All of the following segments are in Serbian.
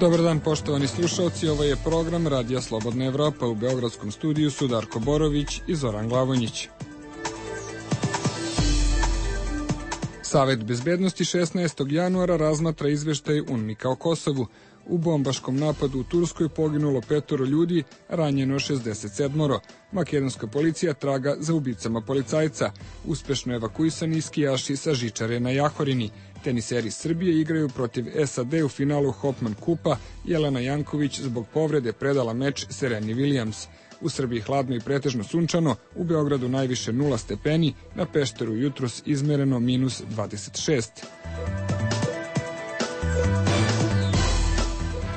Dobar dan, poštovani slušalci, ovo je program Radija Slobodna Evropa. U beogradskom studiju su Darko Borović i Zoran Glavonjić. Savet bezbednosti 16. januara razmatra izveštaj UNMIK-a o Kosovu. U bombaškom napadu u Turskoj poginulo 5 ljudi, ranjeno 67. Makedonska policija traga za ubicama policajca. Uspešno evakuisani skijaši sa žičare na Jahorini. Teniseri Srbije igraju protiv SAD u finalu Hopman kupa. Jelena Janković zbog povrede predala meč Sereni Williams. U Srbiji hladno i pretežno sunčano, u Beogradu najviše 0 stepeni, na Pešteru jutros izmereno minus 26.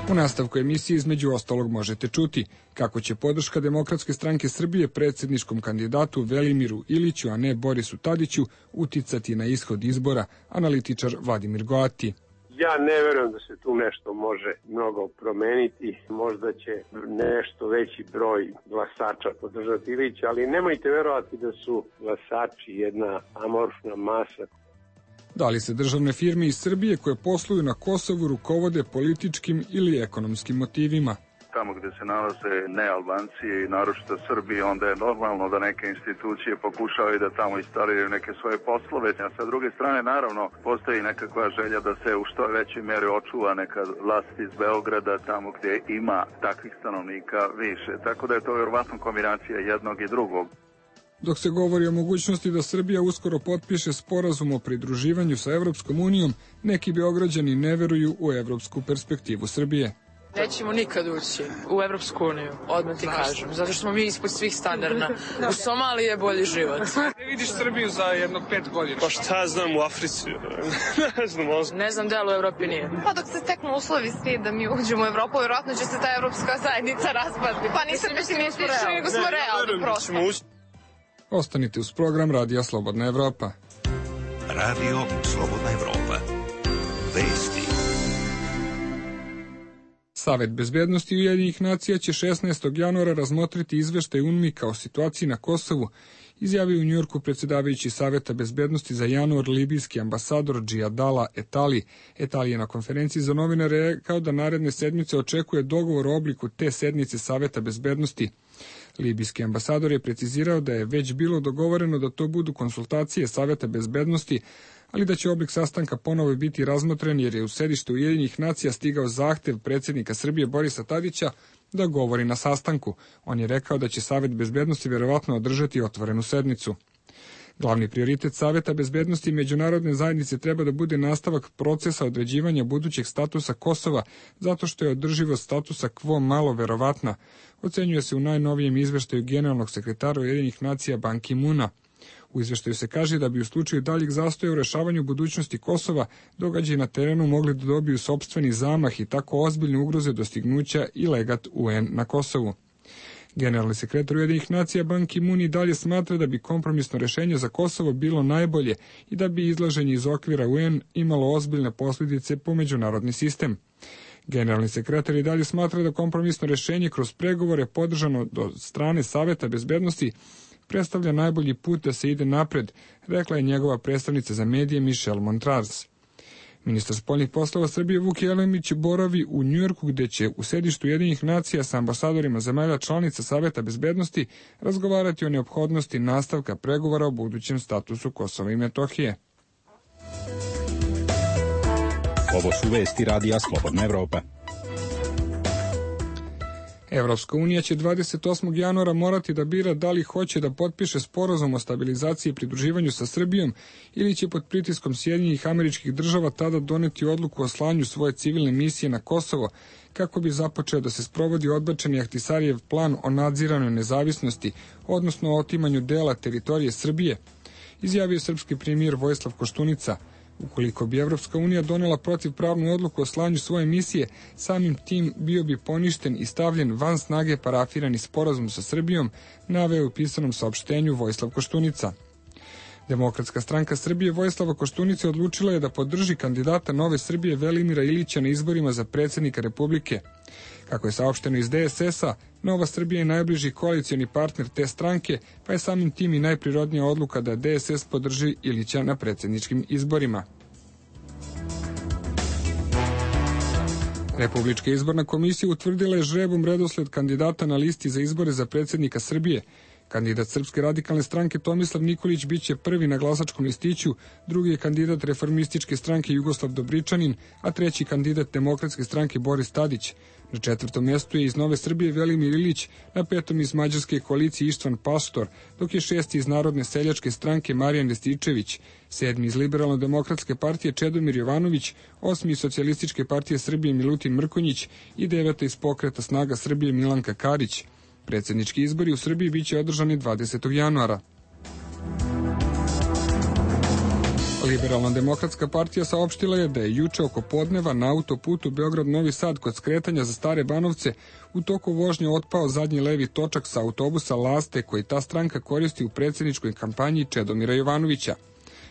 U nastavku emisije između ostalog možete čuti kako će podrška Demokratske stranke Srbije predsjedničkom kandidatu Velimiru Iliću, a ne Borisu Tadiću, uticati na ishod izbora, analitičar Vladimir Goati. Ja ne verujem da se tu nešto može mnogo promeniti, možda će nešto veći broj glasača podržati Ilića, ali nemojte verovati da su glasači jedna amorfna masa. Da li se državne firme iz Srbije koje posluju na Kosovu rukovode političkim ili ekonomskim motivima? Tamo gde se nalaze nealbanci i naročito Srbi, onda je normalno da neke institucije pokušavaju da tamo instaliraju neke svoje poslove. A sa druge strane, naravno, postoji nekakva želja da se u što većoj meri očuva neka vlast iz Beograda, tamo gde ima takvih stanovnika više. Tako da je to vjerovatno kombinacija jednog i drugog. Dok se govori o mogućnosti da Srbija uskoro potpiše sporazum o pridruživanju sa Evropskom unijom, neki Beograđani ne veruju u evropsku perspektivu Srbije. Nećemo nikad ući u Evropsku uniju, odmah ti kažem, zato što smo mi ispod svih standarda. U Somaliji je bolji život. Ne vidiš Srbiju za jednog 5 godina? Pa šta znam u Africi? Ne znam da li u Evropi nije. Pa dok se steknu uslovi svi da mi uđemo u Evropu, vjerojatno će se ta evropska zajednica raspasti. Pa nisam pesimistični, nego smo realni prosto. Ostanite uz program Radija Slobodna Evropa. Radio Slobodna Evropa. Vesti. Savet bezbednosti Ujedinjenih nacija će 16. januara razmotriti izveštaj UNMIK-a o situaciji na Kosovu, izjavio u Njujorku predsjedavajući Saveta bezbednosti za januar libijski ambasador Džijadala Etali. Etali je na konferenciji za novinare rekao da naredne sedmice očekuje dogovor o obliku te sednice Saveta bezbednosti. Libijski ambasador je precizirao da je već bilo dogovoreno da to budu konsultacije Saveta bezbednosti, ali da će oblik sastanka ponovo biti razmotren jer je u sedište Ujedinjenih nacija stigao zahtev predsjednika Srbije Borisa Tadića da govori na sastanku. On je rekao da će Savet bezbednosti vjerovatno održati otvorenu sednicu. Glavni prioritet Saveta bezbednosti i međunarodne zajednice treba da bude nastavak procesa određivanja budućeg statusa Kosova, zato što je održivost statusa quo malo verovatna, ocenjuje se u najnovijem izveštaju generalnog sekretara Ujedinjenih nacija Ban Ki-muna. U izveštaju se kaže da bi u slučaju daljeg zastoja u rešavanju budućnosti Kosova događaji na terenu mogli da dobiju sopstveni zamah i tako ozbiljne ugroze dostignuća i legat UN na Kosovu. Generalni sekretar Ujedinjenih nacija Ban Ki-mun i dalje smatra da bi kompromisno rešenje za Kosovo bilo najbolje i da bi izlaženje iz okvira UN imalo ozbiljne posljedice po međunarodni sistem. Generalni sekretar i dalje smatra da kompromisno rešenje kroz pregovore podržano do strane Saveta bezbednosti predstavlja najbolji put da se ide napred, rekla je njegova predstavnica za medije Michelle Montrars. Ministar spoljnih poslova Srbije Vuk Jeremić boravi u Njujorku gde će u sedištu Ujedinjenih nacija sa ambasadorima zemalja članica Saveta bezbednosti razgovarati o neophodnosti nastavka pregovora o budućem statusu Kosova i Metohije. Ovo su vesti Radija Slobodna Evropa. Evropska unija će 28. januara morati da bira da li hoće da potpiše sporazum o stabilizaciji i pridruživanju sa Srbijom ili će pod pritiskom Sjedinjenih Američkih Država tada doneti odluku o slanju svoje civilne misije na Kosovo kako bi započeo da se sprovodi odbačeni Ahtisarijev plan o nadziranoj nezavisnosti, odnosno o otimanju dela teritorije Srbije, izjavio srpski premijer Vojislav Koštunica. Ukoliko bi Evropska unija donela protivpravnu odluku o slanju svoje misije, samim tim bio bi poništen i stavljen van snage parafirani sporazum sa Srbijom, naveo u pisanom saopštenju Vojislav Koštunica. Demokratska stranka Srbije Vojislava Koštunice odlučila je da podrži kandidata Nove Srbije Velimira Ilića na izborima za predsjednika Republike. Kako je saopšteno iz DSS-a, Nova Srbija je najbliži koalicioni partner te stranke, pa je samim tim i najprirodnija odluka da DSS podrži Ilića na predsjedničkim izborima. Republička izborna komisija utvrdila je žrebom redosled kandidata na listi za izbore za predsjednika Srbije. Kandidat Srpske radikalne stranke Tomislav Nikolić biće prvi na glasačkom listiću, drugi je kandidat Reformističke stranke Jugoslav Dobričanin, a treći kandidat Demokratske stranke Boris Tadić. Na četvrtom mjestu je iz Nove Srbije Velimir Ilić, na petom iz Mađarske koalicije Ištvan Pastor, dok je šesti iz Narodne seljačke stranke Marijan Rističević, sedmi iz Liberalno-demokratske partije Čedomir Jovanović, osmi iz Socijalističke partije Srbije Milutin Mrkonjić i deveta iz Pokreta snaga Srbije Milanka Karić. Predsjednički izbori u Srbiji biće održani 20. januara. Liberalno-demokratska partija saopštila je da je juče oko podneva na autoputu Beograd-Novi Sad kod skretanja za Stare Banovce u toku vožnje otpao zadnji levi točak sa autobusa Laste koji ta stranka koristi u predsjedničkoj kampanji Čedomira Jovanovića.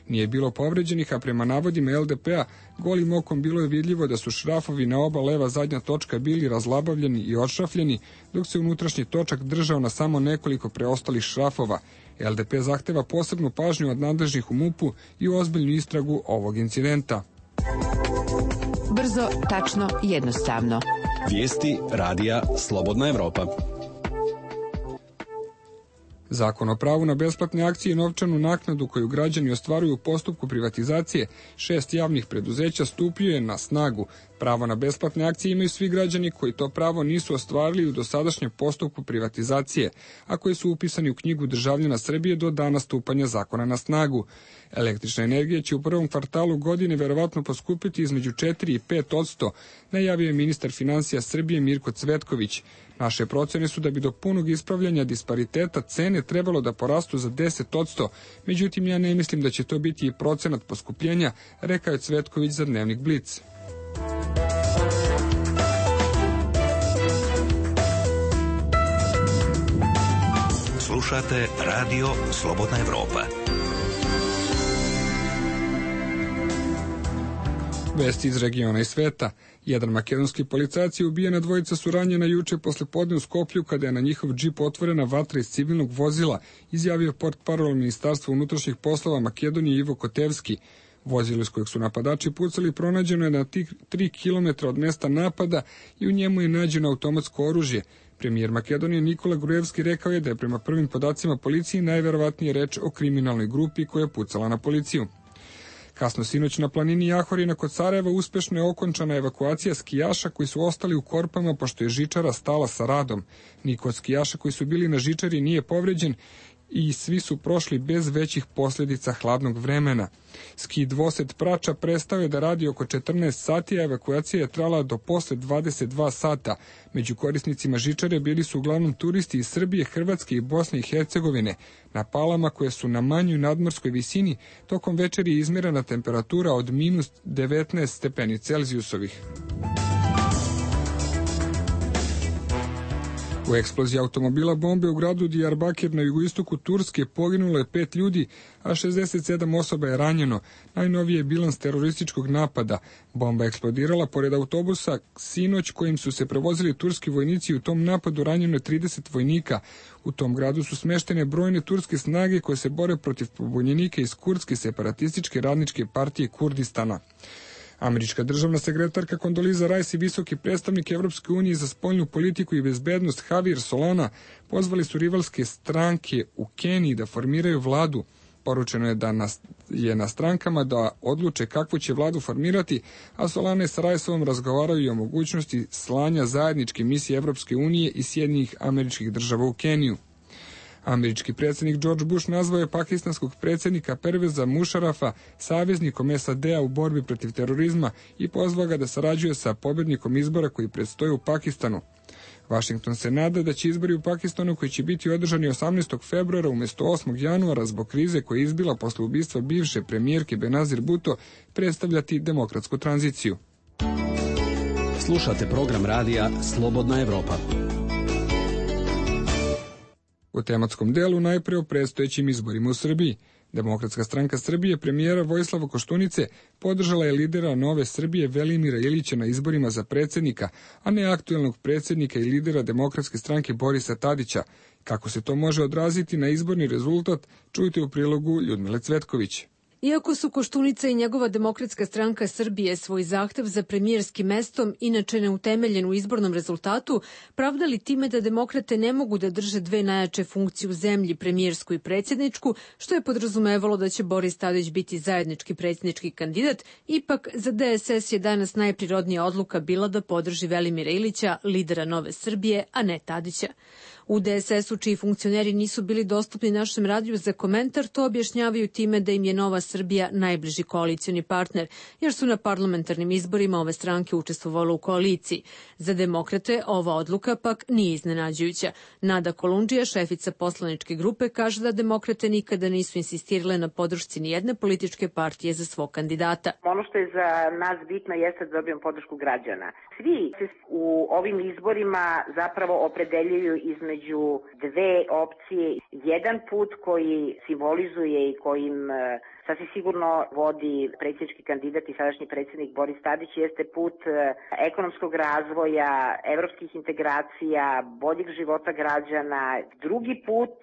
Nije bilo povređenih, a prema navodima LDP-a golim okom bilo je vidljivo da su šrafovi na oba leva zadnja točka bili razlabavljeni i odšrafljeni, dok se unutrašnji točak držao na samo nekoliko preostalih šrafova. LDP zahteva posebnu pažnju od nadležnih u MUP-u i ozbiljnu istragu ovog incidenta. Brzo, tačno, jednostavno. Vijesti radija Slobodna Evropa. Zakon o pravu na besplatne akcije i novčanu naknadu koju građani ostvaruju u postupku privatizacije 6 javnih preduzeća stupio je na snagu. Pravo na besplatne akcije imaju svi građani koji to pravo nisu ostvarili u dosadašnjem postupku privatizacije, a koji su upisani u knjigu državljana Srbije do dana stupanja zakona na snagu. Električna energija će u prvom kvartalu godine verovatno poskupiti između 4 i 5%, najavio je ministar finansija Srbije Mirko Cvetković. Naše procene su da bi do punog ispravljanja dispariteta cene trebalo da porastu za 10%, međutim ja ne mislim da će to biti i procenat poskupljenja, rekao je Cvetković za Dnevnik Blic. Slušate Radio Slobodna Evropa. Vesti iz regiona i sveta. Jedan makedonski policajac je ubijen, a dvojica su ranjena juče posle podne u Skoplju kada je na njihov džip otvorena vatra iz civilnog vozila, izjavio portparol Ministarstva unutrašnjih poslova Makedonije Ivo Kotevski. Vozilo iz kojeg su napadači pucali pronađeno je na 3 km od mesta napada i u njemu je nađeno automatsko oružje. Premijer Makedonije Nikola Grujevski rekao je da je prema prvim podacima policije najverovatnije reč o kriminalnoj grupi koja je pucala na policiju. Kasno sinoć na planini Jahorina kod Sarajeva uspešno je okončana evakuacija skijaša koji su ostali u korpama pošto je žičara stala sa radom. Niko od skijaša koji su bili na žičari nije povređen i svi su prošli bez većih posljedica hladnog vremena. Ski dvosed Prača prestao je da radi oko 14 sati, a evakuacija je trajala do posle 22 sata. Među korisnicima žičare bili su uglavnom turisti iz Srbije, Hrvatske i Bosne i Hercegovine. Na palama koje su na manjoj nadmorskoj visini tokom večeri je izmjerena temperatura od minus 19 stepeni Celzijusovih. U eksploziji automobila bombe u gradu Diyarbakir na jugoistoku Turske poginulo je 5 ljudi, a 67 osoba je ranjeno. Najnoviji je bilans terorističkog napada. Bomba je eksplodirala pored autobusa sinoć kojim su se prevozili turski vojnici i u tom napadu ranjeno je 30 vojnika. U tom gradu su smeštene brojne turske snage koje se bore protiv pobunjenika iz kurdske separatističke radničke partije Kurdistana. Američka državna sekretarka Kondoliza Rice i visoki predstavnik Evropske unije za spoljnu politiku i bezbednost Javier Solana pozvali su rivalske stranke u Keniji da formiraju vladu. Poručeno je da je na strankama da odluče kakvu će vladu formirati, a Solana i sa Riceovom razgovaraju i o mogućnosti slanja zajedničke misije Evropske unije i Sjedinjenih Američkih Država u Keniju. Američki predsjednik George Bush nazvao je pakistanskog predsjednika Perveza Mušarafa saveznikom SAD-a u borbi protiv terorizma i pozvao ga da sarađuje sa pobjednikom izbora koji predstoje u Pakistanu. Washington se nada da će izbori u Pakistanu, koji će biti održani 18. februara umjesto 8. januara zbog krize koja je izbila posle ubistva bivše premijerke Benazir Bhutto, predstavljati demokratsku tranziciju. Slušate program radija Slobodna Evropa. U tematskom delu najpre o predstojećim izborima u Srbiji. Demokratska stranka Srbije premijera Vojislava Koštunice podržala je lidera Nove Srbije Velimira Ilića na izborima za predsjednika, a ne aktuelnog predsjednika i lidera Demokratske stranke Borisa Tadića. Kako se to može odraziti na izborni rezultat, čujte u prilogu Ljudmile Cvetković. Iako su Koštunica i njegova Demokratska stranka Srbije svoj zahtev za premijerskim mestom, inače neutemeljen u izbornom rezultatu, pravdali time da demokrate ne mogu da drže dve najjače funkcije u zemlji, premijersku i predsjedničku, što je podrazumevalo da će Boris Tadić biti zajednički predsjednički kandidat, ipak za DSS je danas najprirodnija odluka bila da podrži Velimira Ilića, lidera Nove Srbije, a ne Tadića. U DSS-u, čiji funkcioneri nisu bili dostupni našem radiju za komentar, to objašnjavaju time da im je Nova Srbija najbliži koalicioni partner, jer su na parlamentarnim izborima ove stranke učestvovale u koaliciji. Za demokrate ova odluka pak nije iznenađujuća. Nada Kolundžija, šefica poslaničke grupe, kaže da demokrate nikada nisu insistirale na podršci nijedne političke partije za svog kandidata. Ono što je za nas bitno jeste da dobijemo podršku građana. Svi se u ovim izborima zapravo opredeljuju između dve opcije. Jedan put koji simbolizuje i kojim sasvim sigurno vodi predsjednički kandidat i sadašnji predsjednik Boris Tadić jeste put ekonomskog razvoja, evropskih integracija, boljeg života građana. Drugi put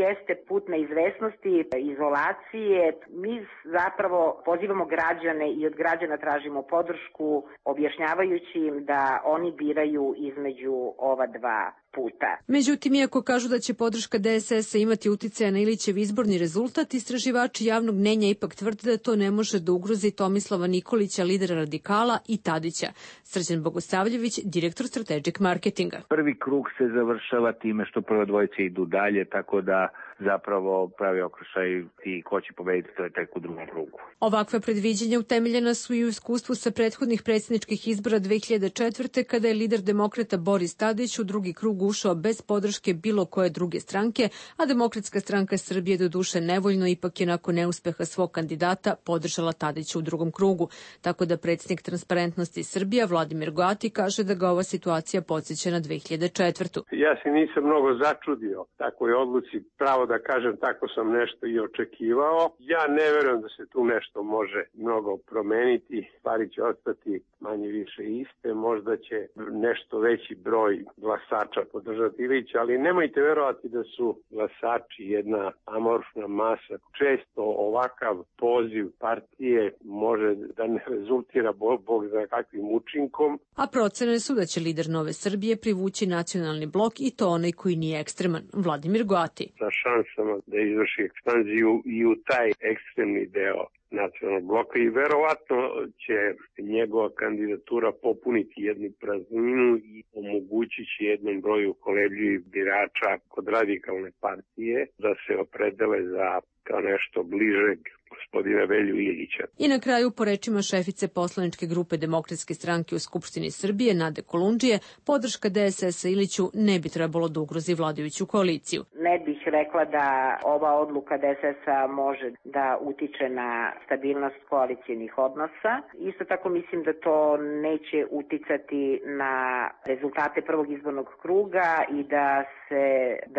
jeste put neizvesnosti, izolacije. Mi zapravo pozivamo građane i od građana tražimo podršku, objašnjavajući im da oni biraju između ova dva puta. Međutim, iako kažu da će podrška DSS-a imati uticaja na Ilićev izborni rezultat, istraživači javnog mnjenja ipak tvrde da to ne može da ugrozi Tomislava Nikolića, lidera Radikala, i Tadića. Srđan Bogosavljević, direktor Strategic Marketinga. Prvi krug se završava time što prve dvojice idu dalje, tako da zapravo pravi okršaj i ko će pobediti, to je tek u drugom krugu. Ovakve predviđenja utemeljena su i u iskustvu sa prethodnih predsjedničkih izbora 2004. kada je lider demokrata Boris Tadić u drugi krug ušao bez podrške bilo koje druge stranke, a Demokratska stranka Srbije doduše nevoljno ipak je nakon neuspeha svog kandidata podržala Tadića u drugom krugu. Tako da predsjednik Transparentnosti Srbija Vladimir Goati kaže da ga ova situacija podsjeća na 2004. Ja se nisam mnogo začudio takvoj odluci, pravo da kažem, tako sam nešto i očekivao. Ja ne verujem da se tu nešto može mnogo promeniti, stvari će ostati manje više iste, možda će nešto veći broj glasača podržati Ilića, ali nemojte verovati da su glasači jedna amorfna masa. Često ovakav poziv partije može da ne rezultira bog za kakvim učinkom. A procene su da će lider Nove Srbije privući nacionalni blok i to onaj koji nije ekstreman, Vladimir Goati. Sa šansama da izvrši ekspanziju i u taj ekstremni deo nacionalnog bloka i verovatno će njegova kandidatura popuniti jednu prazninu i omogućit će jednom broju kolebljivih birača kod radikalne partije da se opredele za kao nešto bližeg gospodina Velju Ilića. I na kraju, po rečima šefice poslaničke grupe Demokratske stranke u Skupštini Srbije, Nade Kolundžije, podrška DSS-a Iliću ne bi trebalo da ugrozi vladajuću koaliciju. Ne bih rekla da ova odluka DSS-a može da utiče na stabilnost koalicijnih odnosa. Isto tako mislim da to neće uticati na rezultate prvog izbornog kruga i da se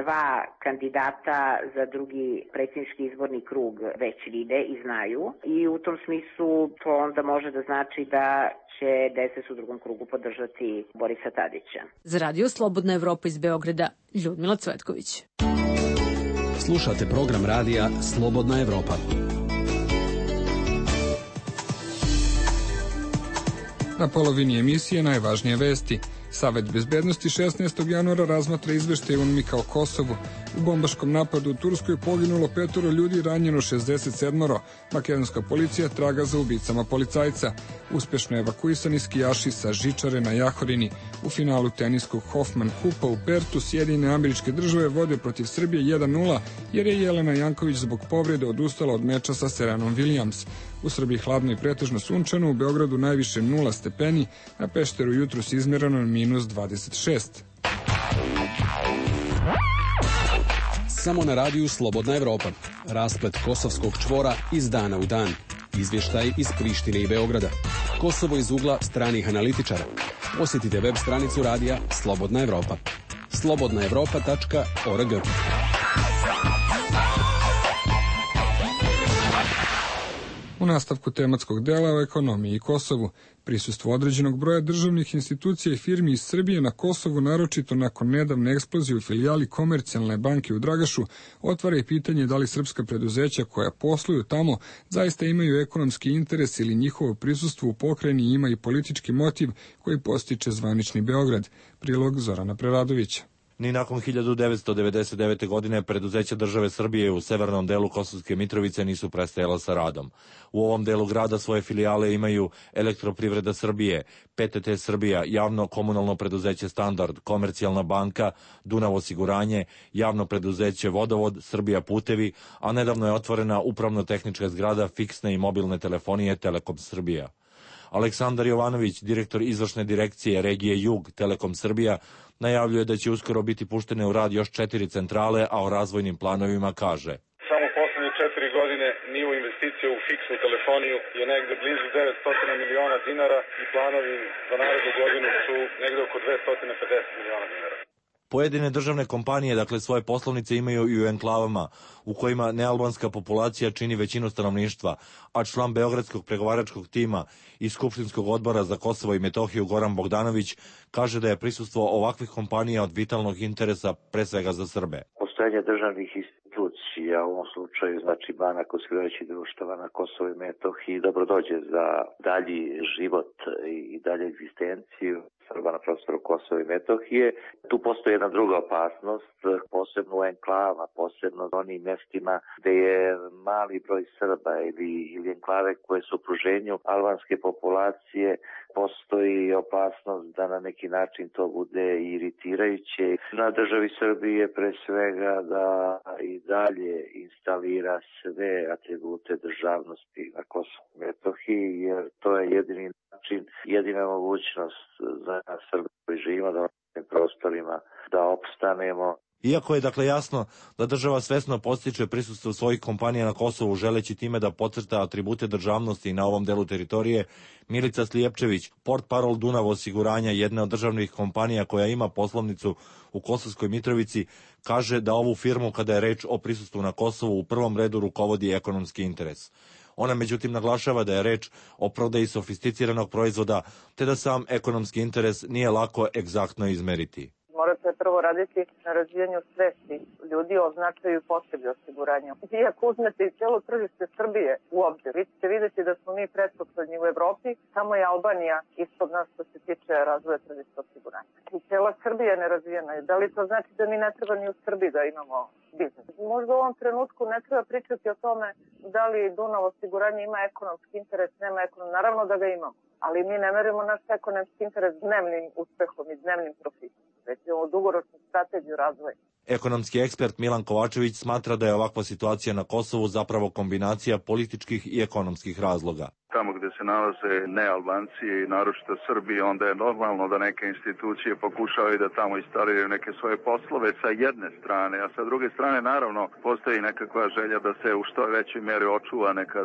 dva kandidata za drugi predsjednički izborni krug već vide i znaju. I u tom smislu to onda može da znači da će DSS u drugom krugu podržati Borisa Tadića. Za Radio Slobodna Evropa iz Beograda, Ljudmila Cvetković. Slušate program radija Slobodna Evropa. Na polovini emisije najvažnije vesti. Savet bezbednosti 16. januara razmatra izveštaj UNMIK-a o Kosovu. U bombaškom napadu u Turskoj poginulo 5 ljudi, ranjeno 67. Makedonska policija traga za ubicama policajca. Uspešno evakuisani skijaši sa žičare na Jahorini. U finalu teniskog Hoffman Kupa u Pertu Sjedinjene Američke Države vode protiv Srbije 1:0 jer je Jelena Janković zbog povrede odustala od meča sa Serenom Williams. U Srbiji hladno i pretežno sunčano, u Beogradu najviše 0 stepeni, na Pešteru jutros izmerano -26. Samo na radiju Slobodna Evropa. Rasplet kosovskog čvora iz dana u dan. Izvještaj iz Prištine i Beograda. Kosovo iz ugla stranih analitičara. Posjetite web stranicu radija Slobodna Evropa. slobodnaevropa.org. U nastavku tematskog dela o ekonomiji i Kosovu, prisustvo određenog broja državnih institucija i firmi iz Srbije na Kosovu, naročito nakon nedavne eksplozije u filijali Komercijalne banke u Dragašu, otvara i pitanje da li srpska preduzeća koja posluju tamo zaista imaju ekonomski interes ili njihovo prisustvo u pokrajini ima i politički motiv koji postiče zvanični Beograd. Prilog Zorana Preradovića. Ni nakon 1999. godine preduzeća države Srbije u severnom delu Kosovske Mitrovice nisu prestajala sa radom. U ovom delu grada svoje filijale imaju Elektroprivreda Srbije, PTT Srbija, javno komunalno preduzeće Standard, Komercijalna banka, Dunav osiguranje, javno preduzeće Vodovod, Srbija putevi, a nedavno je otvorena upravno-tehnička zgrada fiksne i mobilne telefonije Telekom Srbija. Aleksandar Jovanović, direktor izvršne direkcije regije Jug Telekom Srbija, najavljuje da će uskoro biti puštene u rad još 4 centrale, a o razvojnim planovima kaže: Samo poslednje 4 godine nivo investicije u fiksnu telefoniju je negde blizu 900 miliona dinara i planovi za narednu godinu su negde oko 250 miliona dinara. Pojedine državne kompanije, dakle, svoje poslovnice imaju i u enklavama, u kojima nealbanska populacija čini većinu stanovništva, a član Beogradskog pregovaračkog tima i Skupštinskog odbora za Kosovo i Metohiju Goran Bogdanović kaže da je prisustvo ovakvih kompanija od vitalnog interesa pre svega za Srbe. Postojanje državnih institucija, u ovom slučaju znači banaka osiguravajućih društava na Kosovo i Metohiji, dobro dođe za dalji život i dalje egzistenciju Srba na prostoru Kosova i Metohije. Tu postoji jedna druga opasnost, posebno u enklavama, posebno u onim mestima gde je mali broj Srba ili enklave koje su u okruženju albanske populacije, postoji opasnost da na neki način to bude iritirajuće. Na državi Srbije pre svega da i dalje instalira sve atribute državnosti na Kosovu i Metohiji, jer to je jedini način, jedina mogućnost za Srbe koji živimo na ovim prostorima da opstanemo. Iako je dakle jasno da država svesno podstiče prisustvo svojih kompanija na Kosovu želeći time da podcrta atribute državnosti na ovom delu teritorije, Milica Slijepčević, portparol Dunav osiguranja, jedne od državnih kompanija koja ima poslovnicu u Kosovskoj Mitrovici, kaže da ovu firmu kada je reč o prisustvu na Kosovu u prvom redu rukovodi ekonomski interes. Ona međutim naglašava da je reč o prodaji sofisticiranog proizvoda, te da sam ekonomski interes nije lako egzaktno izmeriti. Morate prvo raditi na razvijanju svesti ljudi o značaju i potrebi osiguranja. I ako uzmete i cijelo tržište Srbije u obzir, vi ćete vidjeti da smo mi pretposlednji u Evropi, samo je Albanija ispod nas što se tiče razvoja tržišta osiguranja. I cijela Srbija je nerazvijena. Da li to znači da mi ne treba ni u Srbiji da imamo biznis? Možda u ovom trenutku ne treba pričati o tome da li Dunav osiguranje ima ekonomski interes, nema ekonomski. Naravno da ga imamo, ali mi ne merimo naš ekonomski interes dnevnim uspehom i dnevnim profitom. Već imamo dugoročnu strategiju razvoja. Ekonomski ekspert Milan Kovačević smatra da je ovakva situacija na Kosovu zapravo kombinacija političkih i ekonomskih razloga. Tamo gde se nalaze nealbanci i naročito Srbi, onda je normalno da neke institucije pokušavaju da tamo instaliraju neke svoje poslove sa jedne strane, a sa druge strane naravno postoji nekakva želja da se u što većoj meri očuva neka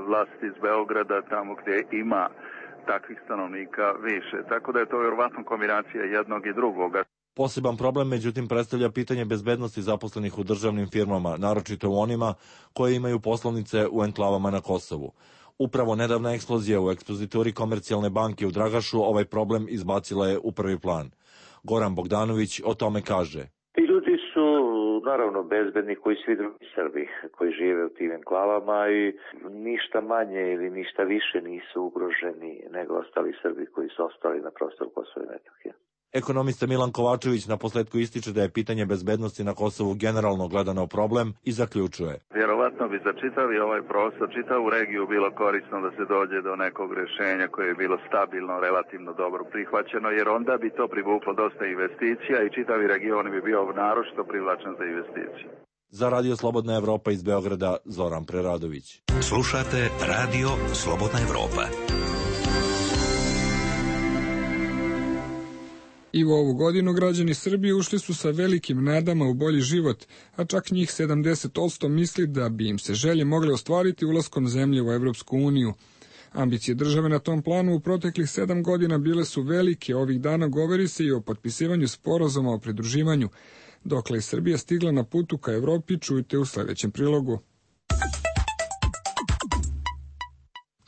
vlast iz Beograda tamo gde ima takvih stanovnika više. Tako da je to vjerovatno kombinacija jednog i drugoga. Poseban problem, međutim, predstavlja pitanje bezbednosti zaposlenih u državnim firmama, naročito u onima koje imaju poslovnice u enklavama na Kosovu. Upravo nedavna eksplozija u ekspozituri Komercijalne banke u Dragašu ovaj problem izbacila je u prvi plan. Goran Bogdanović o tome kaže: Ti ljudi su naravno bezbedni koji svi drugi Srbi koji žive u tim enklavama i ništa manje ili ništa više nisu ugroženi nego ostali Srbi koji su ostali na prostoru Kosova i Metohije. Ekonomista Milan Kovačević na posledku ističe da je pitanje bezbednosti na Kosovu generalno gledano problem i zaključuje: Vjerovatno bi za čitavi ovaj prostor, čitavu regiju bilo korisno da se dođe do nekog rješenja koje je bilo stabilno, relativno dobro prihvaćeno, jer onda bi to privuklo dosta investicija i čitavi region bi bio naročito privlačen za investicije. Za Radio Slobodna Evropa iz Beograda, Zoran Preradović. Slušate Radio Slobodna Evropa. I u ovu godinu građani Srbije ušli su sa velikim nadama u bolji život, a čak njih 70% misli da bi im se želje mogle ostvariti ulaskom zemlje u Evropsku uniju. Ambicije države na tom planu u proteklih 7 godina bile su velike, ovih dana govori se i o potpisivanju sporazuma o pridruživanju. Dokle je Srbija stigla na putu ka Evropi, čujte u sledećem prilogu.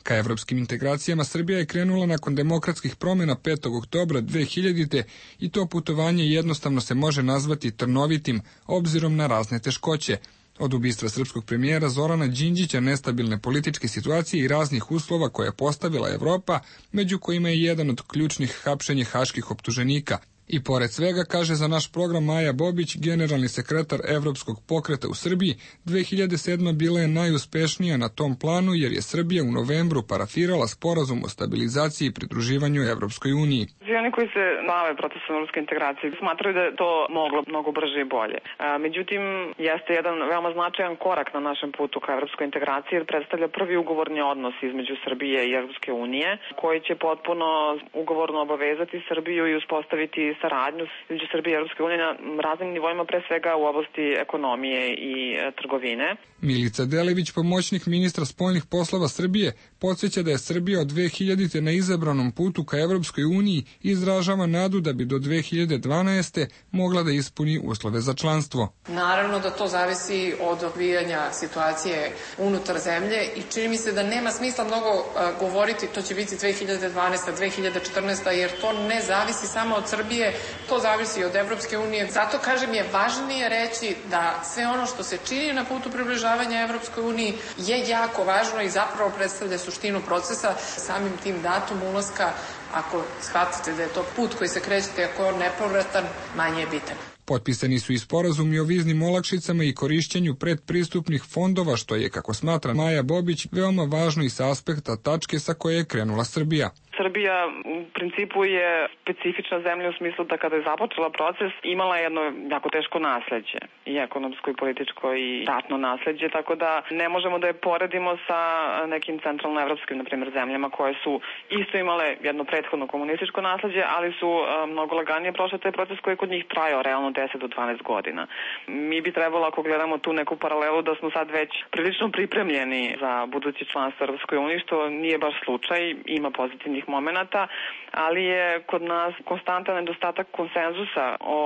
Ka evropskim integracijama Srbija je krenula nakon demokratskih promjena 5. oktobra 2000. i to putovanje jednostavno se može nazvati trnovitim obzirom na razne teškoće. Od ubistva srpskog premijera Zorana Đinđića, nestabilne političke situacije i raznih uslova koje je postavila Evropa, među kojima je jedan od ključnih hapšenje haških optuženika. I pored svega, kaže za naš program Maja Bobić, generalni sekretar Evropskog pokreta u Srbiji, 2007. bila je najuspešnija na tom planu jer je Srbija u novembru parafirala sporazum o stabilizaciji i pridruživanju Evropskoj uniji. Oni koji se bave procesom evropske integracije smatraju da je to moglo mnogo brže i bolje. Međutim, jeste jedan veoma značajan korak na našem putu ka evropskoj integraciji jer predstavlja prvi ugovorni odnos između Srbije i Evropske unije koji će potpuno ugovorno obavezati Srbiju i uspostaviti saradnju između Srbije i Evropske unije na raznim nivoima, pre svega u oblasti ekonomije i trgovine. Milica Delević, pomoćnik ministra spoljnih poslova Srbije, podsjeća da je Srbija od 2000. na izabranom putu ka Evropskoj uniji i izražava nadu da bi do 2012. mogla da ispuni uslove za članstvo. Naravno da to zavisi od odvijanja situacije unutar zemlje i čini mi se da nema smisla mnogo govoriti to će biti 2012. 2014. jer to ne zavisi samo od Srbije, to zavisi od Evropske unije. Zato, kažem, je važnije reći da sve ono što se čini na putu približavanja Evropskoj uniji je jako važno i zapravo predstavlja suštinu procesa. Samim tim datum ulaska, ako shvatite da je to put koji se krećete, ako je on nepovratan, manje je bitan. Potpisani su i sporazumi o viznim olakšicama i korišćenju predpristupnih fondova, što je, kako smatra Maja Bobić, veoma važno i sa aspekta tačke sa koje je krenula Srbija. Srbija u principu je specifična zemlja u smislu da kada je započela proces imala jedno jako teško nasleđe, i ekonomsko i političko i ratno nasleđe, tako da ne možemo da je poredimo sa nekim centralnoevropskim, na primjer, zemljama koje su isto imale jedno prethodno komunističko nasleđe, ali su mnogo laganije prošle taj proces koji je kod njih trajao realno 10 do 12 godina. Mi bi trebalo, ako gledamo tu neku paralelu, da smo sad već prilično pripremljeni za budući članstvo Evropskoj uniji, što nije baš slučaj, ima pozitivnih momenata, ali je kod nas konstantan nedostatak konsenzusa o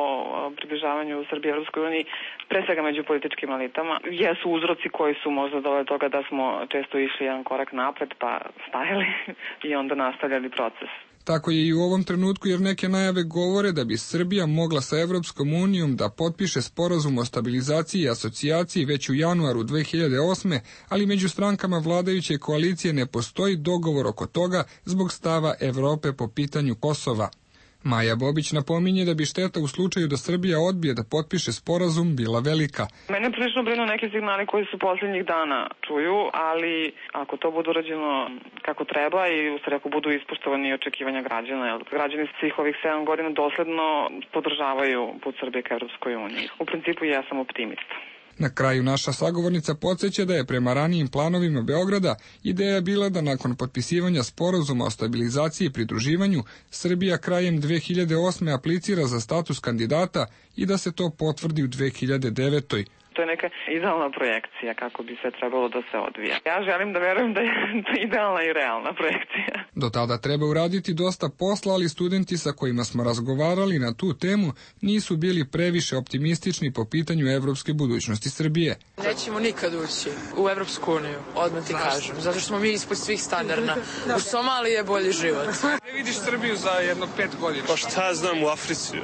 približavanju Srbije Evropskoj uniji, pre svega među političkim elitama. Jesu uzroci koji su možda doveli toga da smo često išli jedan korak napred pa stajali i onda nastavljali proces. Tako je i u ovom trenutku, jer neke najave govore da bi Srbija mogla sa Evropskom unijom da potpiše sporazum o stabilizaciji i asocijaciji već u januaru 2008. ali među strankama vladajuće koalicije ne postoji dogovor oko toga zbog stava Evrope po pitanju Kosova. Maja Bobić napominje da bi šteta u slučaju da Srbija odbije da potpiše sporazum bila velika. Mene prilično brinu neki signali koji su posljednjih dana čuju, ali ako to bude urađeno kako treba i u stvari ako budu ispoštovani očekivanja građana, jer građani svih ovih 7 godina dosledno podržavaju put Srbije ka Evropskoj uniji. U principu ja sam optimista. Na kraju naša sagovornica podsjeća da je prema ranijim planovima Beograda ideja bila da nakon potpisivanja sporazuma o stabilizaciji i pridruživanju Srbija krajem 2008. aplicira za status kandidata i da se to potvrdi u 2009. To je neka idealna projekcija kako bi sve trebalo da se odvija. Ja želim da verujem da je to idealna i realna projekcija. Do tada treba uraditi dosta posla, ali studenti sa kojima smo razgovarali na tu temu nisu bili previše optimistični po pitanju evropske budućnosti Srbije. Nećemo nikad ući u Evropsku uniju, odmah ti kažem, zato što smo mi ispod svih standarda. U Somaliji je bolji život. Ne vidiš Srbiju za jedno 5 godina? Pa šta znam u Africi?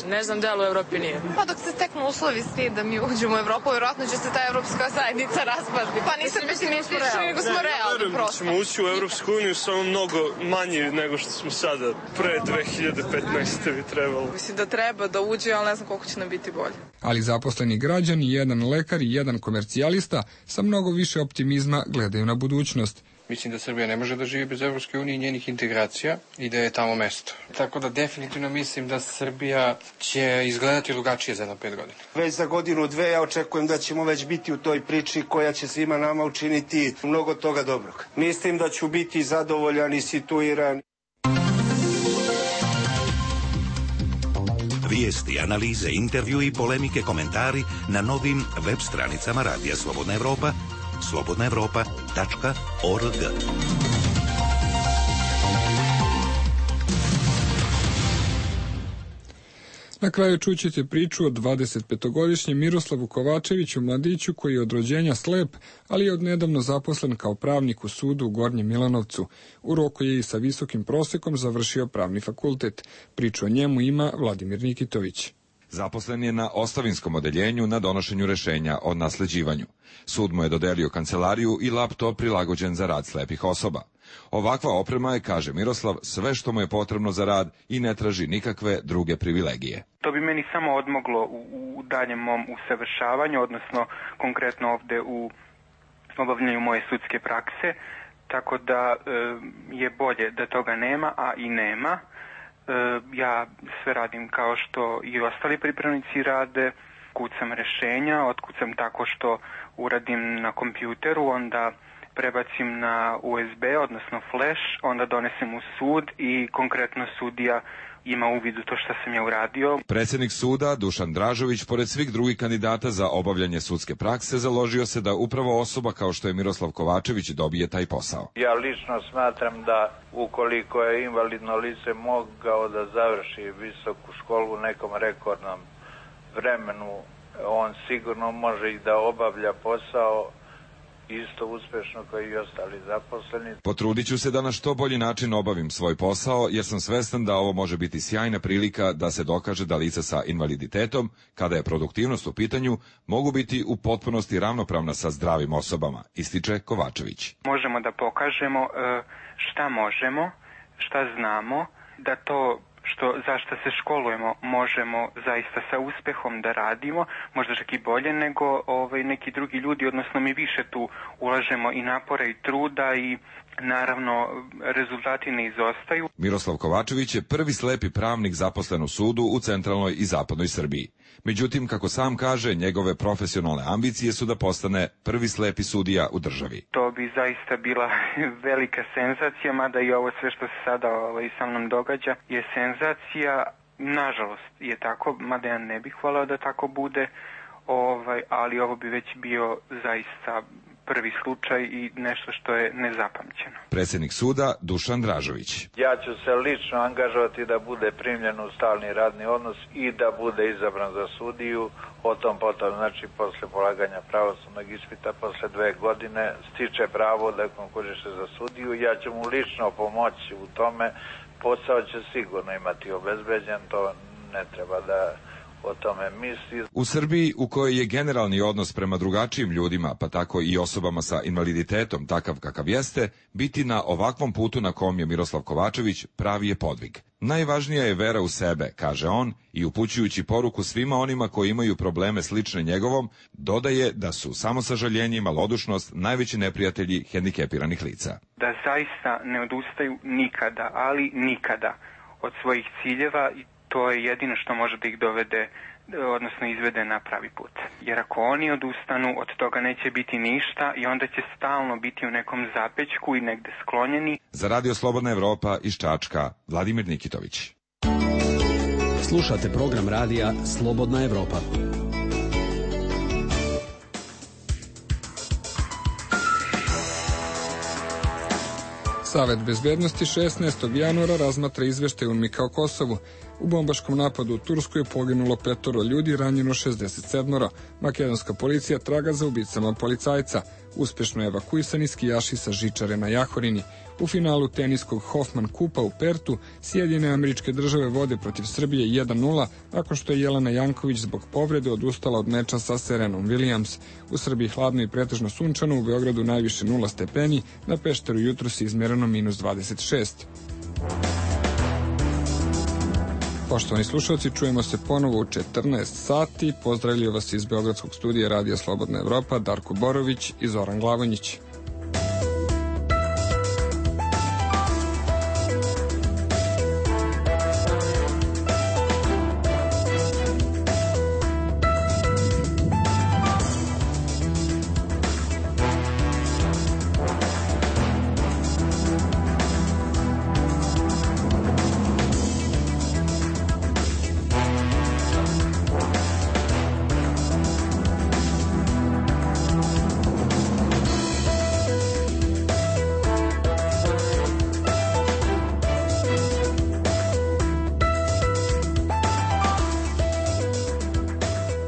Ne znam da li u Evropi nije. Pa dok se steknu uslovi svi da mi uđemo u Evropu, vjerojatno će se ta evropska zajednica raspasti. Pa nisam pesimistični, nego smo realni prosto. Ćemo ući u Evropsku uniju samo mnogo manji nego što smo sada. Pre 2015. bi trebalo. Mislim da treba da uđe, ali ne znam koliko će nam biti bolje. Ali zaposleni građani, jedan lekar i jedan komercijalista sa mnogo više optimizma gledaju na budućnost. Mislim da Srbija ne može da živi bez Evropske unije i njenih integracija i da je tamo mesto. Tako da definitivno mislim da Srbija će izgledati drugačije za jedno 5 godina. Već za godinu, dve ja očekujem da ćemo već biti u toj priči koja će svima nama učiniti mnogo toga dobrog. Mislim da ću biti zadovoljan i situiran. Vijesti, analize, intervju i polemike, komentari na novim web stranicama Radija Slobodna Evropa, slobodnaevropa.org. Na kraju čućete priču o 25-godišnjem Miroslavu Kovačeviću, mladiću koji je od rođenja slep, ali je odnedavno zaposlen kao pravnik u sudu u Gornjem Milanovcu. U roku je i sa visokim prosekom završio pravni fakultet. Priču o njemu ima Vladimir Nikitović. Zaposlen je na ostavinskom odeljenju na donošenju rešenja o nasleđivanju. Sud mu je dodelio kancelariju i laptop prilagođen za rad slepih osoba. Ovakva oprema je, kaže Miroslav, sve što mu je potrebno za rad i ne traži nikakve druge privilegije. To bi meni samo odmoglo u daljem mom usavršavanju, odnosno konkretno ovde u obavljanju moje sudske prakse, tako da je bolje da toga nema, a i nema. Ja sve radim kao što i ostali pripravnici rade, kucam rešenja, otkucam tako što uradim na kompjuteru, onda prebacim na USB, odnosno flash, onda donesem u sud i konkretno sudija ima uvid u to što sam ja uradio. Predsjednik suda Dušan Dražović, pored svih drugih kandidata za obavljanje sudske prakse, založio se da upravo osoba kao što je Miroslav Kovačević dobije taj posao. Ja lično smatram da ukoliko je invalidno lice mogao da završi visoku školu u nekom rekordnom vremenu, on sigurno može i da obavlja posao isto uspešno kao i ostali zaposleni. Potrudit ću se da na što bolji način obavim svoj posao, jer sam svestan da ovo može biti sjajna prilika da se dokaže da lica sa invaliditetom, kada je produktivnost u pitanju, mogu biti u potpunosti ravnopravna sa zdravim osobama, ističe Kovačević. Možemo da pokažemo šta možemo, šta znamo, da to za što se školujemo možemo zaista sa uspehom da radimo, možda čak i bolje nego neki drugi ljudi, odnosno mi više tu ulažemo i napora i truda i naravno rezultati ne izostaju. Miroslav Kovačević je prvi slepi pravnik zaposlen u sudu u centralnoj i zapadnoj Srbiji. Međutim, kako sam kaže, njegove profesionalne ambicije su da postane prvi slepi sudija u državi. To bi zaista bila velika senzacija, mada i ovo sve što se sada sa mnom događa je senzacija. Nažalost je tako, mada ja ne bih voleo da tako bude, ali ovo bi već bio zaista prvi slučaj i nešto što je nezapamćeno. Predsjednik suda Dušan Dražović. Ja ću se lično angažovati da bude primljen u stalni radni odnos i da bude izabran za sudiju. O tom potom, znači posle polaganja pravosudnog ispita, posle 2 godine stiče pravo da konkuriše za sudiju. Ja ću mu lično pomoći u tome. Posao će sigurno imati obezbeđen, to ne treba da o tome misli. U Srbiji, u kojoj je generalni odnos prema drugačijim ljudima, pa tako i osobama sa invaliditetom takav kakav jeste, biti na ovakvom putu na kom je Miroslav Kovačević pravi je podvig. Najvažnija je vera u sebe, kaže on, i upućujući poruku svima onima koji imaju probleme slične njegovom, dodaje da su samosažaljenje i malodušnost najveći neprijatelji hendikepiranih lica. Da zaista ne odustaju nikada, ali nikada od svojih ciljeva, i to je jedino što može da ih dovede, odnosno izvede na pravi put. Jer ako oni odustanu, od toga neće biti ništa i onda će stalno biti u nekom zapećku i negde sklonjeni. Za Radio Slobodna Evropa iz Čačka, Vladimir Nikitović. Slušate program radija Slobodna Evropa. Savet bezbednosti 16. januara razmatra izveštaj UNMIK o Kosovu. U bombaškom napadu u Turskoj je poginulo 5 ljudi, ranjeno 67. Makedonska policija traga za ubicama policajca. Uspešno je evakuisani skijaši sa žičare na Jahorini. U finalu teniskog Hoffman Kupa u Pertu Sjedinjene Američke Države vode protiv Srbije 1:0, nakon što je Jelena Janković zbog povrede odustala od meča sa Serenom Williams. U Srbiji hladno i pretežno sunčano, u Beogradu najviše 0 stepeni, na Pešteru jutros je izmereno -26. Poštovani slušalci, čujemo se ponovo u 14 sati. Pozdravljaju vas iz Beogradskog studija Radija Slobodna Evropa Darko Borović i Zoran Glavonjić.